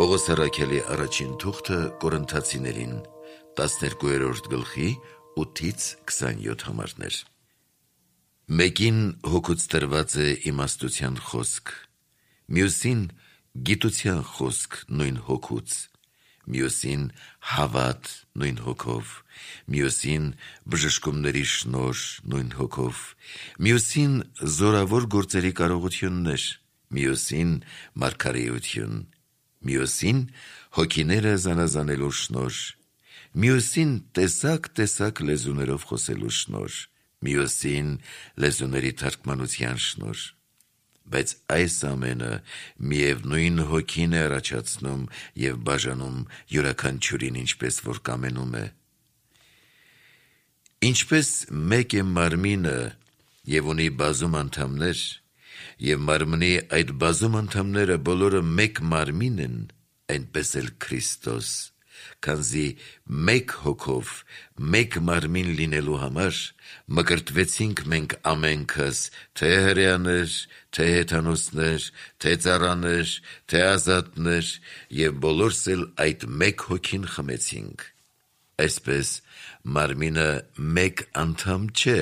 Պողոս առաքյալի առաջին թուղթը Կորինթացիներին 12-րդ գլխի 8-ից 27 համարներ։ Մեկին հոգուց տրված է իմաստության խոսք, մյուսին գիտության խոսք նույն հոգուց, մյուսին հավատ նույն հոգով, մյուսին բժշկումների շնորհ նույն հոգով, մյուսին զորավոր գործերի կարողություններ, մյուսին մարգարեություն, մյուսին հոգիները զանազանելու շնորհ, մյուսին տեսակ լեզուներով խոսելու շնորհ, մյուսին լեզուների թարգմանության շնորհ, բայց այս ամենը միևնույն հոգին է առաջացնում և բաժանում յուրաքանչյուրին ինչպես որ կամենում է։ Ինչպես մեկ է մարմինը և ունի բազում անդամներ, և մարմնի այդ բազում անդամները բոլորը մեկ մարմին են, այնպես էլ Քրիստոս, քանզի մեկ հոգով մեկ մարմին լինելու համար մկրտվեցինք մենք ամենքս, թե հրեաներ, թե հեթանոսներ, թե ծառաներ, թե ազատներ, և բոլորս էլ այդ մեկ հոգին խմեցինք։ Այսպես մարմինը մեկ անդամ չէ,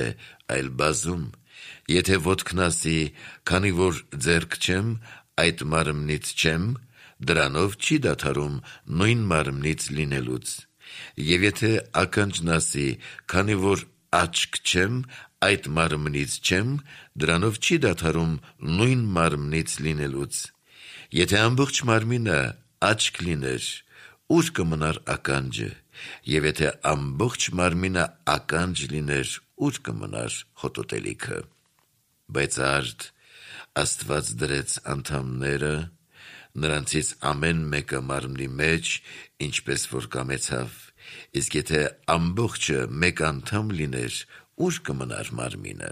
այլ բազում։ Եթե ոտքն ասի, քանի որ ձեռք չեմ, այդ մարմնից չեմ, դրանով չի դադարում նույն մարմնից լինելուց։ Եվ եթե ականջն ասի, քանի որ աչք չեմ, այդ մարմնից չեմ, դրանով չի դադարում նույն մարմնից լինելուց։ Եթե ամբողջ մարմինը աչք լիներ, ուր կմնար ականջը, և եթե ամբողջ մարմինը ականջ լիներ, ուր կմնար հոտոտելիքը։ Բայց արդ Աստված դրեց անդամները, նրանցից ամեն մեկը մարմնի մեջ, ինչպես որ կամեցավ, իսկ եթե ամբողջը մեկ անդամ լիներ, ուր կմնար մարմինը։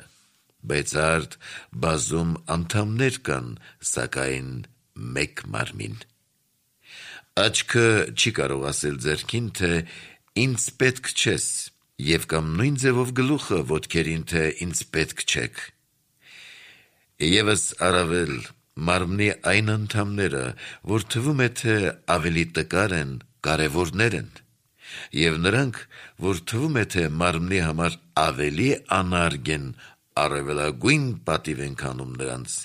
Բայց արդ բազում անդամներ կան, սակայն մեկ մարմին։ Աչքը չի կարող ասել ձեռքին, թե ինձ պետք չես, և կամ նույն ձևով գլուխը ոտքերին, թե ինձ պետք չեք։ Եվս առավել մարմնի այն անդամները, որ թվում է, թե ավելի տկար են, կարևորներ են, և նրանք, որ թվում է, թե մարմնի համար ավելի անարգ են, առավելագույն պատիվ ենք անում նրանց,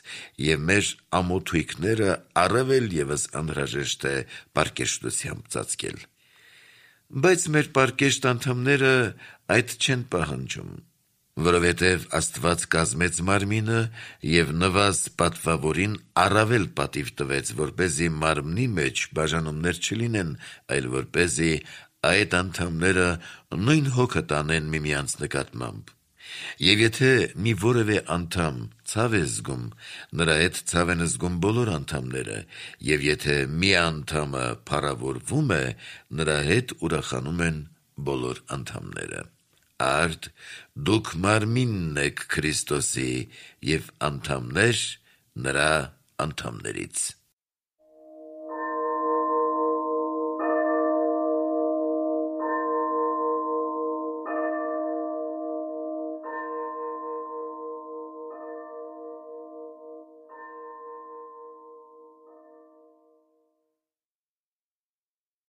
և մեր ամոթույքները առավել ևս անհրաժեշտ է պարկեշտությամբ ծածկել։ Բայց մեր պարկեշտ անդամները այդ չեն պահանջում, որովհետև Աստված կազմեց մարմինը և նվազ պատվավորին առավել պատիվ տվեց, որպեսզի մարմնի մեջ բաժանումներ չլինեն, այլ որպեսզի այդ անդամները նույն հոգը տանեն միմյանց նկատմամբ։ Եվ եթե մի որևէ անդամ ցավ է զգում, նրա հետ ցավ են զգում բոլոր անդամները, և եթե մի անդամը փառավորվում է, նրա հետ ուրախանում են բոլոր անդամները։ Արդ դուք մարմինն եք Քրիստոսի և անդամներ նրա անդամներից։